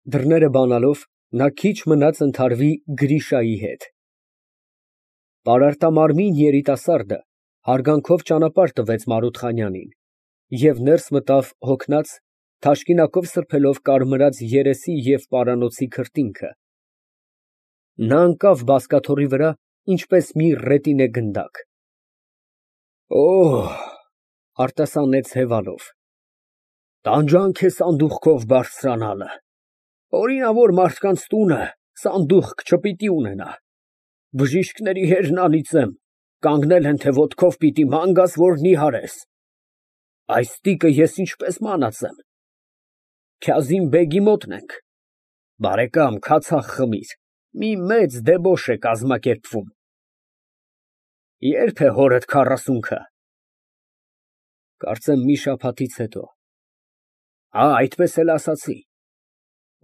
Դռները բանալով, նա քիչ մնաց ընդհարվի Գրիշայի հետ։ Պարարտամարմին երիտասարդը հարգանքով ճանապարհ տվեց Մարութխանյանին և ներս մտավ հոգնած, թաշկինակով սրբելով կարմրած երեսի և պարանոցի քրտինքը։ Նա ընկավ բազկաթոռի վրա, ինչպես մի ռետինե գնդակ։ Օհ, արտասանեց հևալով, տանջանք է սանդուղքով բարձրանալը, օրինավոր մարդկանց տունը սանդուղք չպիտի ունենա, բժիշկների հերն անիծեմ, կանգնել են, թե ոտքով պիտի ման գաս, որ նիհարես, այս տիկը ես ինչպես մանածեմ, Քազիմ֊բեգի մոտն ենք, բարեկամ, քացախ խմիր, մի մեծ դեբոշ է կազմակերպվում, ե՞րբ է հորդ քառասունքը, կարծեմ մի շաբաթից հետո, այդպես էլ ասացի,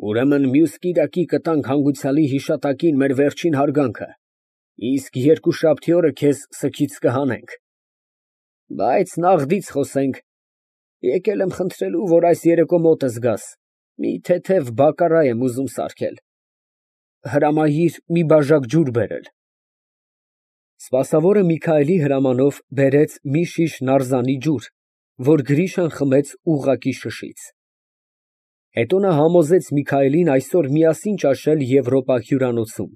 ուրեմն մյուս կիրակի կտանք հանգուցյալի հիշատակին մեր վերջին հարգանքը, իսկ երկուշաբթի օրը քեզ սգից կհանենք, բայց նաղդից խոսենք, եկել եմ խնդրելու, որ այս երեկո մոտս գաս, մի թեթև բակարա եմ ուզում սարքել, հրամայիր մի բաժակ ջուր բերել։ Սպասավորը Միքայելի հրամանով բերեց մի շիշ նարզանի ջուր, որ Գրիշան խմեց ուղղակի շշից։ Հետո նա համոզեց Միքայելին այսօր միասին ճաշել Եվրոպա հյուրանոցում։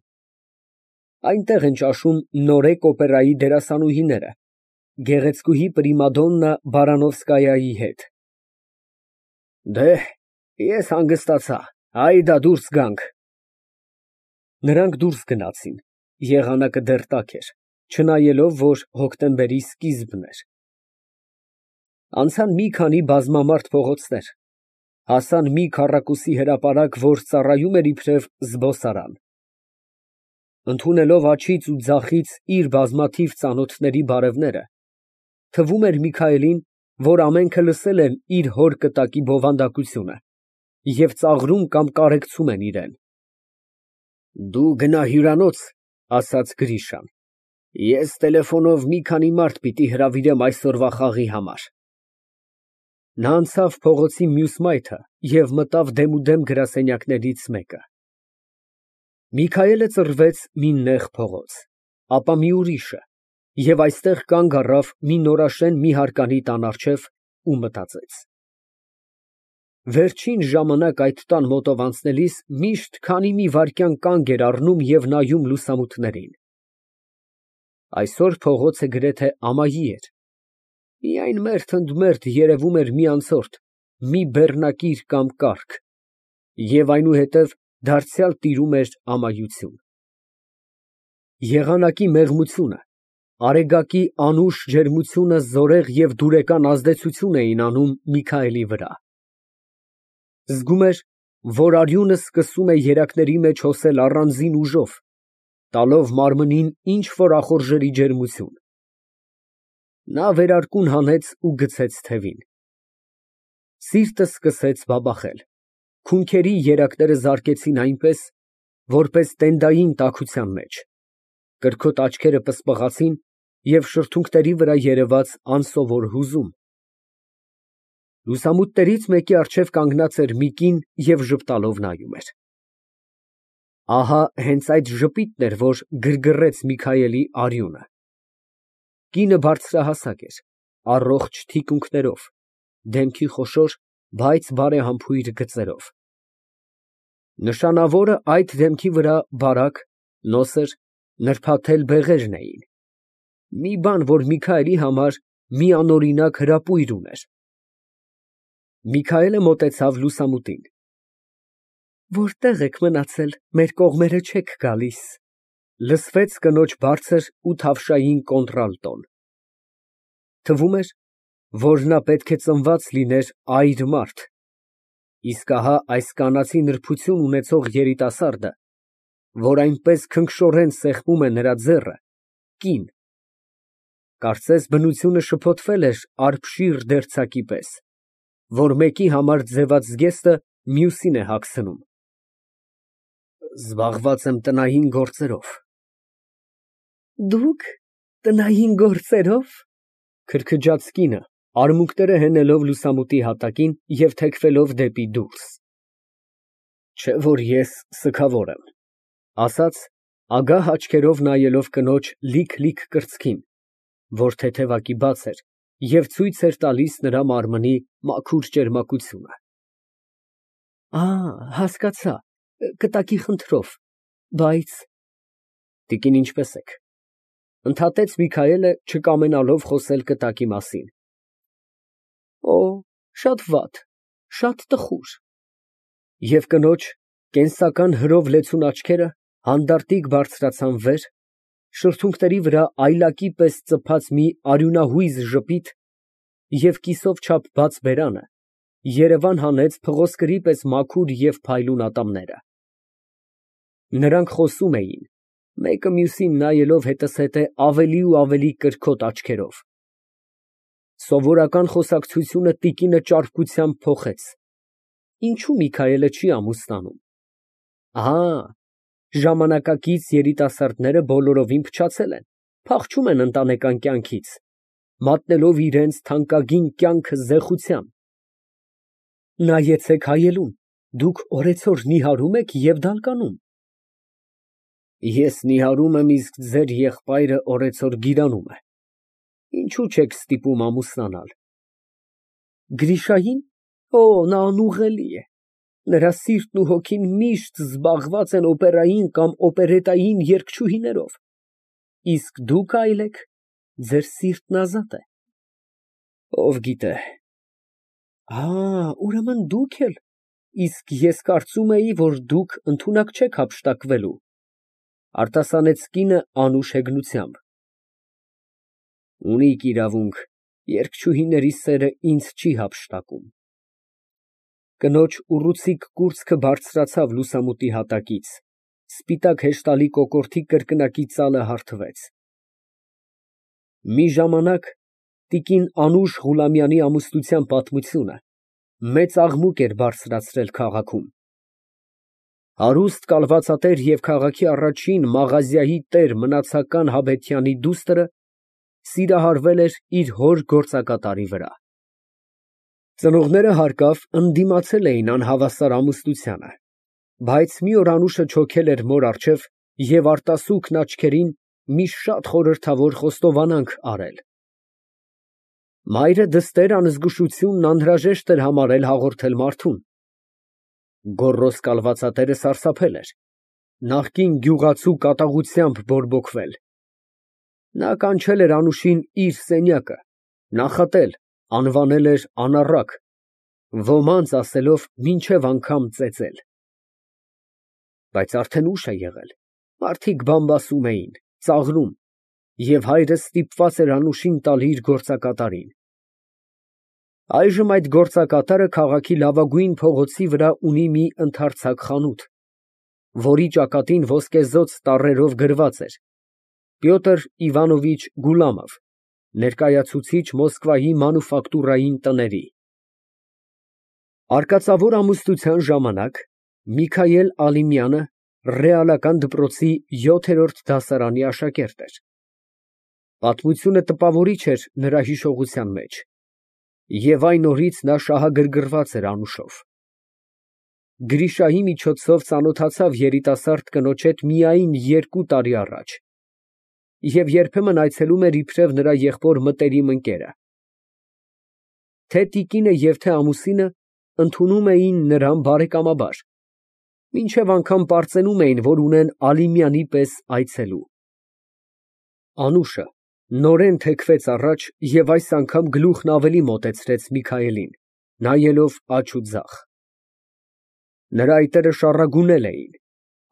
Այնտեղ են ճաշում Նորեկ օպերայի դերասանուհիները, գեղեցկուհի պրիմադոննա Բարանովսկայայի հետ։ Դե, ես հանգստացա, հայդա դուրս գանք։ Նրանք դուրս գնացին, եղանակը դեռ տաք էր, չնայելով, որ հոկտեմբերի սկիզբն էր։ Անցան մի քանի բազմամարդ փողոցներ, հասան մի քառակուսի հրապարակ, որ ծառայում էր իբրև զբոսարան։ Ընդունելով աջից ու ձախից իր բազմաթիվ ծանոթների բարևները, թվում էր Միքայելին, որ ամենքը լսել են իր հոր կտակի բովանդակությունը և ծաղրում կամ կարեկցում են իրան։ Դու գնա հյուրանոց, ասաց Գրիշան, ես տելեֆոնով մի քանի մարդ պիտի հրավիրեմ այսօրվա խաղի համար։ Նա անցավ փողոցի մյուս մայթը և մտավ դեմուդեմ գրասենյակներից մեկը։ Միքայելը ծռվեց մի նեղ փողոց, ապա մի ուրիշը և այստեղ կանգ առավ մի նորաշեն մի հարկանի տան առջև ու մտածեց. վերջին ժամանակ այդ տան մոտով անցնելիս միշտ քանի մի վայրկյան կանգ էր առնում և նայում լուսամուտներին։ Այսօր փողոցը գրեթե ամայի էր, միայն մերթ ընդ մերթ երևում էր մի անցորդ, մի բեռնակիր կամ կառք, և այնուհետև դարձյալ տիրում էր ամայություն։ Եղանակի մեղմությունը, արեգակի անուշ ջերմությունը զորեղ և դուրեկան ազդեցություն էին անում Միքայելի վրա։ Զգում էր, որ արյունը սկսում է երակների մեջ հոսել առանձին ուժով, տալով մարմնին ինչ֊որ ախորժելի ջերմություն։ Նա վերարկուն հանեց ու գցեց թևին։ Սիրտը սկսեց բաբախել, քունքերի երակները զարկեցին այնպես, որպես տենդային տաքության մեջ, կրքոտ աչքերը պսպղացին և շրթունքների վրա երևաց անսովոր հուզում։ Լուսամուտներից մեկի առջև կանգնած էր մի կին և ժպտալով նայում էր։ Ահա հենց այդ ժպիտն էր, որ գրգռեց Միքայելի արյունը։ Կինը բարձրահասակ էր, առողջ թիկունքներով, դեմքի խոշոր, բայց բարեհամբույր գծերով։ Նշանավորը այդ դեմքի վրա բարակ, նոսր, նրբաթել բեղերն էին, մի բան, որ Միքայելի համար միանօրինակ հրապույր ուներ։ Միքայելը մոտեցավ լուսամուտին։ Որտե՞ղ եք մնացել, մեր կողմերը չեք գալիս, լսվեց կնոջ բարձր ու թավշային կոնտրալտոն։ Թվում էր, որ նա պետք է ծնված լիներ այր մարդ, իսկ ահա այս կանացի նրբություն ունեցող երիտասարդը, որ այնպես քնքշորեն սեղմում է նրա ձեռը, կին, կարծես բնությունը շփոթվել էր արբշիր դերձակի պես, որ մեկի համար ձևած զգեստը մյուսին է հագցնում։ Զբաղված եմ տնային գործերով։ Դուք տնային գործերով, քրքջաց կինը, արմունկները հենելով լուսամուտի հատակին և թեքվելով դեպի դուրս։ Չէ որ ես սգավոր եմ, ասաց ագահ աչքերով նայելով կնոջ լիք կրծքին, որ թեթևակի բաց էր և ցույց էր տալիս նրա մարմնի մաքուր ճերմակությունը։ Հասկացա, կտակի խնդրով, բայց… Տիկին, ինչպե՞ս եք, ընդհատեց Միքայելը, չկամենալով խոսել կտակի մասին։ Շատ վատ, շատ տխուր։ Եվ կնոջ կենսական հրով լեցուն աչքերը հանդարտիկ բարձրացան վեր, շրթունքների վրա այլակի պես ծփած մի արյունահույզ ժպիտ և կիսով չափ բաց բերանը երևան հանեց փղոսկրի պես մաքուր և փայլուն ատամները։ Նրանք խոսում էին, մեկը մյուսին նայելով հետզհետե ավելի ու ավելի կրքոտ աչքերով։ Սովորական խոսակցությունը տիկինը ճարպկությամբ փոխեց. ինչո՞ւ Միքայելը չի ամուսնանում։ Ժամանակակից երիտասարդները բոլորովին փչացել են, փախչում են ընտանեկան կյանքից, մատնելով իրենց թանկագին կյանքը զեխության։ Նայեցեք հայելուն, դուք օրեցօր նիհարում եք և դալկանում։ Ես նիհարում եմ, իսկ ձեր եղբայրը օրեցօր գիրանում է։ Ինչո՞ւ չեք ստիպում ամուսնանալ։ Գրիշա՞յին։ Նա անուղղելի է։ Նրա սիրտն ու հոգին միշտ զբաղված են օպերային կամ օպերետային երգչուհիներով, իսկ դուք այլ եք, ձեր սիրտն ազատ է։ Ով գիտե։ Ուրեմն դուք էլ… Իսկ ես կարծում էի, որ դուք ընդունակ չեք հափշտակվելու, արտասանեց կինը անուշ հեգնությամբ։ Ունիք իրավունք, երգչուհիների սերը ինձ չի հափշտակում։ Կնոջ ուռուցիկ կուրծքը բարձրացավ լուսամուտի հատակից, սպիտակ հեշտալի կոկորդի կրկնակի ծալը հարթվեց։ Մի ժամանակ տիկին Անուշ Ղուլամյանի ամուսնության պատմությունը մեծ աղմուկ էր բարձրացրել քաղաքում։ Հարուստ կալվածատեր և քաղաքի առաջին մաղազիայի տեր մնացական Հաբեթյանի դուստրը սիրահարվել էր իր հոր գործակատարի վրա։ Ծնողները հարկավ ընդդիմացել էին անհավասար ամուսնությանը, բայց մի օր Անուշը չոքել էր մոր առջև և արտասուքն աչքերին մի շատ խորհրդավոր խոստովանանք արել։ Մայրը դստեր անզգուշությունն անհրաժեշտ էր համարել հաղորդել մարդուն։ Գոռոզ կալվածատերը սարսափել էր, նախկին գյուղացու կատաղությամբ բորբոքվել։ Նա կանչել էր Անուշին իր սենյակը, նախատել, անվանել էր անառակ, ոմանց ասելով մինչև անգամ ծեծել։ Բայց արդեն ուշ է եղել, մարդիկ բամբասում էին, ծաղրում, և հայրը ստիպված էր Անուշին տալ իր գործակատարին։ Այժմ այդ գործակատարը քաղաքի լավագույն փողոցի վրա ունի մի ընդարձակ խանութ, որի ճակատին ոսկեզօծ տառերով գրված էր Պյոտր Իվանովիչ Գուլամով, ներկայացուցիչ Մոսկվայի մանուֆակտուրային տների։ Արկածավոր ամուսնության ժամանակ Միքայել Ալիմյանը ռեալական դպրոցի 7-րդ դասարանի աշակերտ էր։ Պատմությունը տպավորիչ էր նրա հիշողության մեջ, և այն օրից նա շահագրգռված էր Անուշով։ Գրիշայի միջոցով ծանոթացավ երիտասարդ կնոջ հետ միայն 2 տարի առաջ և երբեմն այցելում էր իբրև նրա եղբոր մտերիմ ընկերը։ Թե տիկինը և թե ամուսինը ընդունում էին նրան բարեկամաբար, մինչև անգամ պարծենում էին, որ ունեն Ալիմյանի պես այցելու։ Անուշը նորեն թեքվեց առաջ և այս անգամ գլուխն ավելի մոտեցրեց Միքայելին, նայելով աջ ու ձախ։ Նրա այտերը շառագունել էին,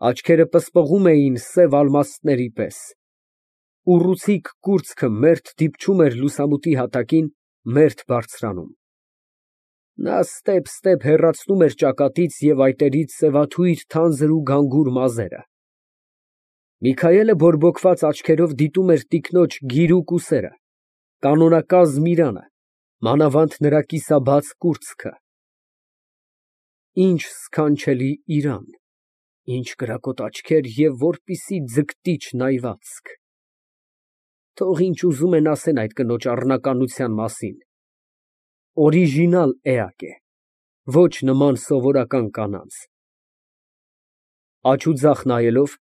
աչքերը պսպղում էին սև ալմաստների պես, ուռուցիկ կուրծքը մերթ դիպչում էր լուսամուտի հատակին, մերթ բարձրանում։ Նա ստեպ հեռացնում էր ճակատից և այտերից սևաթույր թանձր ու գանգուր մազերը։ Միքայելը բորբոքված աչքերով դիտում էր տիկնոջ գիրուկ ուսերը, կանոնակազմ իրանը, մանավանդ նրա կիսաբաց կուրծքը։ Ինչ սքանչելի իրան, ինչ կրակոտ աչքեր և որպիսի ձգտիչ նայվածք։ Թող ինչ ուզում են ասեն այդ կնոջ առնականության մասին, օրիժինալ էակ է, ոչ նման սովորական կանանց։ Աջ ու ձախ նայելով,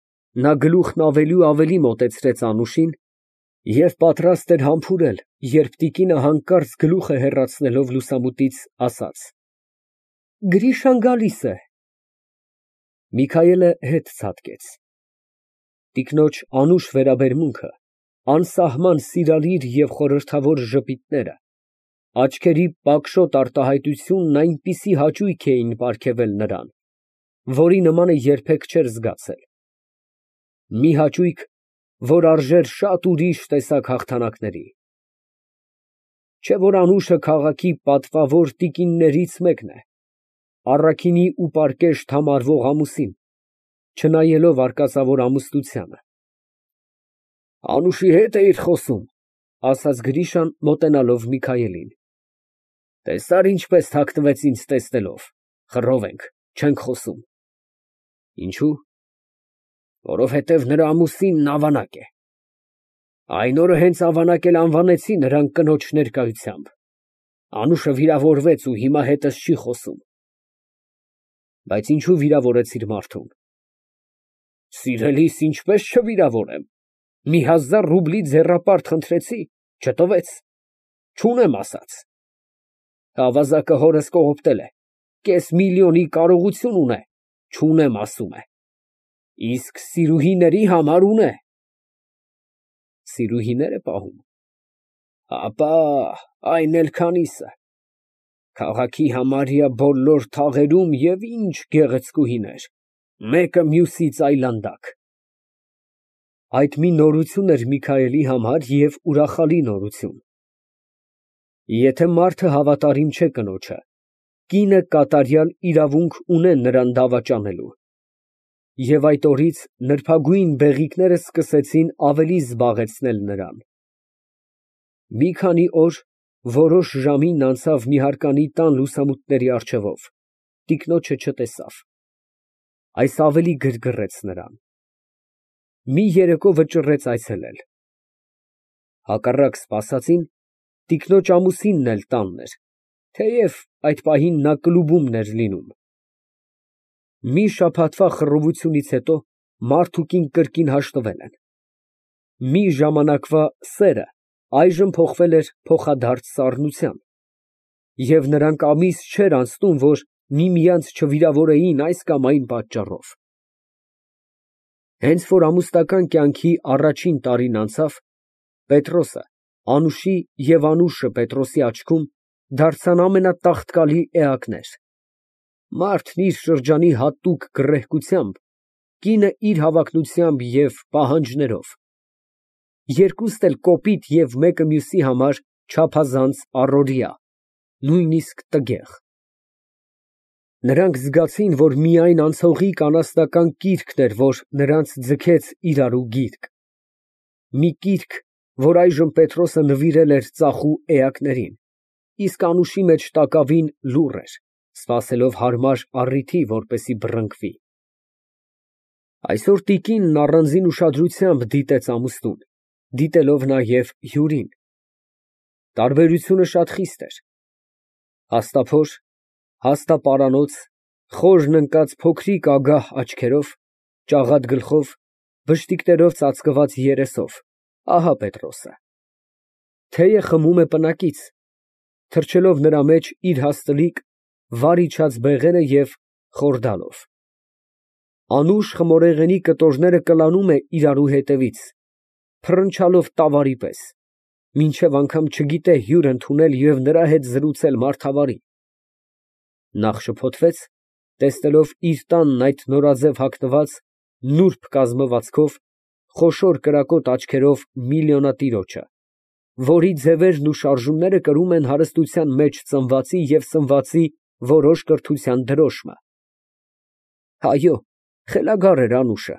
նա գլուխն ավելի ու ավելի մոտեցրեց Անուշին և պատրաստ էր համբուրել, երբ տիկինը հանկարծ գլուխը հեռացնելով լուսամուտից, ասաց. «Գրիշան գալիս է»։ Միքայելը հետ ցատկեց։ Տիկնոջ անուշ վերաբերմունքը, անսահման սիրալիր և խորհրդավոր ժպիտները, աչքերի պակշոտ արտահայտությունն այնպիսի հաճույք էին պարգևել նրան, որի նմանը երբեք չէր զգացել, մի հաճույք, որ արժեր շատ ուրիշ տեսակ հաղթանակների։ Չէ՞ որ Անուշը քաղաքի պատվավոր տիկիններից մեկն է, առաքինի ու պարկեշտ համարվող ամուսին, չնայելով արկածավոր ամուսնությանը։ «Անուշի հետ էիր խոսում», ֊ ասաց Գրիշան, մոտենալով Միքայելին։ «Տեսա՞ր ինչպես հագնվեց ինձ տեսնելով, խռով ենք, չենք խոսում»։ «Ինչո՞ւ»։ «Որովհետև նրա ամուսինն ավանակ է։ Այն օրը հենց ավանակ էլ անվանեցի նրան կնոջ ներկայությամբ։ Անուշը վիրավորվեց ու հիմա հետս չի խոսում»։ «Բայց ինչո՞ւ վիրավորեցիր մարդուն»։ «Սիրելիս, ինչպես չվիրավորեմ, մի 1000 ռուբլի ձեռապարտ խնդրեցի, չտվեց, չունեմ ասաց։ Ավազակը հորս կողոպտել է, կես միլիոնի կարողություն ունե, չունեմ ասում է, իսկ սիրուհիների համար ունե։ Սիրուհիներ է պահում։ Հապա, այն էլ քանիսը։ Քաղաքի համարյա բոլոր թաղերում և ինչ գեղեցկուհիներ, մեկը մյուսից այլանդակ»։ Այդ մի նորություն էր Միքայելի համար և ուրախալի նորություն։ Եթե մարդը հավատարիմ չէ կնոջը, կինը կատարյալ իրավունք ունե նրան դավաճանելու։ Եվ այդ օրից նրբագույն բեղիկները սկսեցին ավելի զբաղեցնել նրան։ Մի քանի օր որոշ ժամին անցավ մի հարկանի տան լուսամուտների առջևով, տիկնոջը չտեսավ։ Այս ավելի գրգռեց նրան։ Մի երեկո վճռեց այցելել։ Հակառակ սպասածին, տիկնոջ ամուսինն էլ տանն էր, թեև այդ պահին նա կլուբումն էր լինում։ Մի շաբաթվա խռովությունից հետո մարդ ու կին կրկին հաշտվել են։ Մի ժամանակվա սերը այժմ փոխվել էր փոխադարձ սառնության, և նրանք ամիս չէր անցնում, որ միմյանց չվիրավորեին այս կամ այն պատճառով։ Հենց որ ամուսնական կյանքի առաջին տարին անցավ, Պետրոսը Անուշի և Անուշը Պետրոսի աչքում դարձան ամենատաղտկալի էակներ։ Մարդն իր շրջանի հատուկ գռեհկությամբ, կինը իր հավակնությամբ և պահանջներով, երկուստ էլ կոպիտ և մեկը մյուսի համար չափազանց առօրյա, նույնիսկ տգեղ։ Նրանք զգացին, որ միայն անցողիկ անասնական կիրքն էր, որ նրանց ձգեց իրարու գիրկ, մի կիրք, որ այժմ Պետրոսը նվիրել էր ծախու էակներին, իսկ Անուշի մեջ տակավին լուռ էր, սպասելով հարմար առիթի, որպեսզի բռնկվի։ Այսօր տիկինն առանձին ուշադրությամբ դիտեց ամուսնուն, դիտելով նաև հյուրին։ Տարբերությունը շատ խիստ էր։ Հաստափոր, հաստապարանոց, խորն ընկած փոքրիկ ագահ աչքերով, ճաղատ գլխով, բշտիկներով ծածկված երեսով, ահա Պետրոսը։ Թեյը խմում է պնակից, թրջելով նրա մեջ իր հաստլիկ, վար իջած բեղերը և խորդալով։ Անուշ խմորեղենի կտորները կլանում է իրարու հետևից, փռնչալով տավարի պես, մինչև անգամ չգիտե հյուր ընդունել և նրա հետ զրուցել մարդավարի։ Նախ շփոթվեց, տեսնելով իր տանն այդ նորաձև հագնված, նուրբ կազմվածքով, խոշոր կրակոտ աչքերով միլիոնատիրոջը, որի ձևերն ու շարժումները կրում են հարստության մեջ ծնվածի և սնվածի որոշ կրթության դրոշմը։ Այո, խելագար էր Անուշը,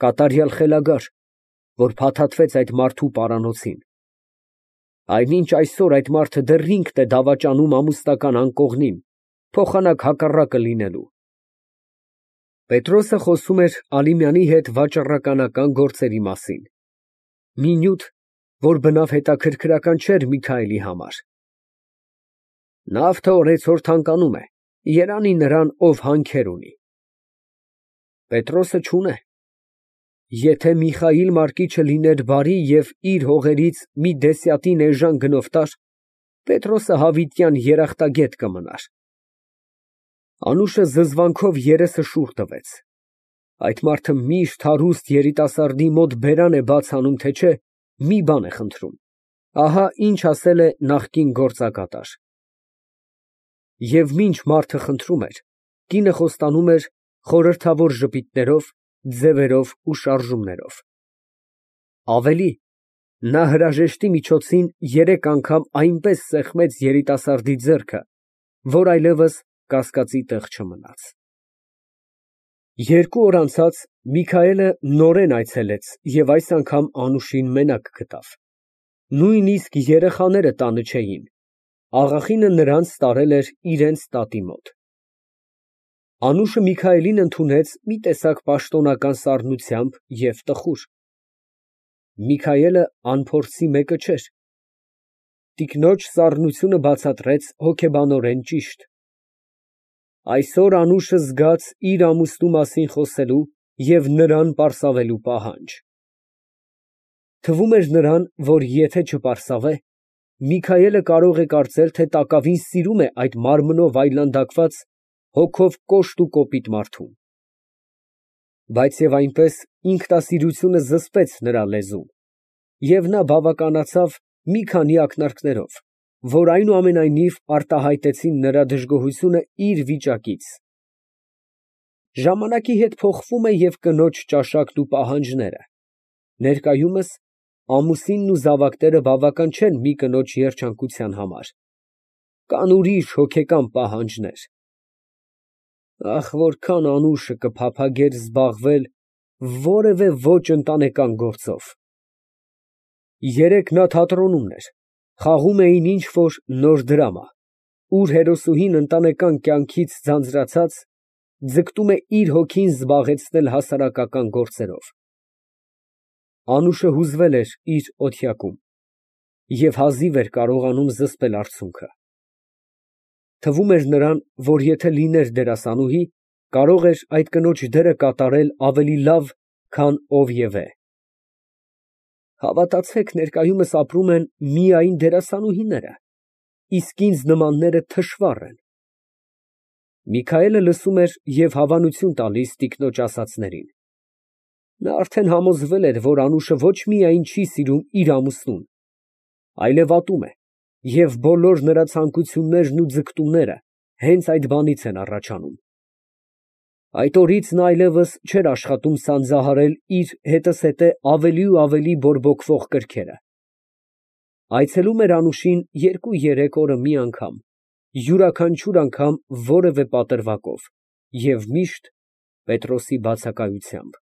կատարյալ խելագար, որ փաթաթվեց այդ մարդու պարանոցին։ Այնինչ այսօր այդ մարդը դեռ ինքն է դավաճանում ամուսնական անկողնին, փոխանակ հակառակը լինելու։ Պետրոսը խոսում էր Ալիմյանի հետ վաճառականական գործերի մասին, մի նյութ, որ բնավ հետաքրքրական չէր Միքայելի համար։ Նավթը օրեցօր թանկանում է, երանի նրան, ով հանքեր ունի։ Պետրոսը չունե։ Եթե Միխայիլ Մարկիչը լիներ բարի և իր հողերից մի դեսյատին էժան գնով տար, Պետրոսը հավիտյան երախտագետ կմնար։ Անուշը զզվանքով երեսը շուռ տվեց։ Այդ մարդը միշտ հարուստ երիտասարդի մոտ բերան է բաց անում, թե չէ, մի բան է խնդրում։ Ահա ինչ ասել է նախկին գործակատար։ Եվ մինչ մարդը խնդրում էր, կինը խոստանում էր խորհրդավոր ժպիտներով, ձևերով ու շարժումներով։ Ավելի, նա հրաժեշտի միջոցին 3 անգամ այնպես սեղմեց երիտասարդի ձեռքը, որ այլևս կասկածի տեղ չմնաց։ 2 օր անցած Միքայելը նորեն այցելեց և այս անգամ Անուշին մենակ գտավ։ Նույնիսկ երեխաները տանը չէին։ Աղախինը նրանց տարել էր իրենց տատի մոտ։ Անուշը Միքայելին ընդունեց մի տեսակ պաշտոնական սառնությամբ և տխուր։ Միքայելը անփորձի մեկը չէր։ Տիկնոջ սառնությունը բացատրեց հոգեբանորեն ճիշտ։ Այսօր Անուշը զգաց իր ամուսնու մասին խոսելու և նրան պարսավելու պահանջ։ Թվում էր նրան, որ եթե չպարսավե, Միքայելը կարող է կարծել, թե տակավին սիրում է այդ մարմնով այլանդակված, հոգով կոշտ ու կոպիտ մարդուն։ Բայց և այնպես ինքնասիրությունը զսպեց նրա լեզուն, և նա բավականացավ մի քանի ակնարկներով, որ այնուամենայնիվ արտահայտեցին նրա դժգոհությունը իր վիճակից։ Ժամանակի հետ փոխվում է և կնոջ ճաշակն ու պահանջները։ Ներկայումս ամուսինն ու զավակները բավական չեն մի կնոջ երջանկության համար։ Կան ուրիշ հոգեկան պահանջներ։ Ախ, որքան Անուշը կփափագեր զբաղվել որևէ ոչ ընտանեկան գործով։ Երեկ նա թատրոնում էր, խաղում էին ինչ֊որ նոր դրամա, ուր հերոսուհին ընտանեկան կյանքից ձանձրացած, ձգտում է իր հոգին զբաղեցնել հասարակական գործերով։ Անուշը հուզվել էր իր օթյակում և հազիվ էր կարողանում զսպել արցունքը։ Թվում էր նրան, որ եթե լիներ դերասանուհի, կարող էր այդ կնոջ դերը կատարել ավելի լավ, քան ով և է։ Հավատացեք, ներկայումս ապրում են միայն դերասանուհիները, իսկ ինձ նմանները թշվառ են։ Միքայելը լսում էր և հավանություն տալիս տիկնոջ ասածներին։ Նա արդեն համոզվել էր, որ Անուշը ոչ միայն չի սիրում իր ամուսնուն, այլև ատում է, և բոլոր նրա ցանկություններն ու ձգտումները հենց այդ բանից են առաջանում։ Այդ օրից նա այլևս չէր աշխատում սանձահարել իր հետզհետե ավելի ու ավելի բորբոքվող կրքերը։ Այցելում էր Անուշին 2-3 օրը մի անգամ, յուրաքանչյուր անգամ որևէ պատրվակով և միշտ Պետրոսի բացակայությամբ։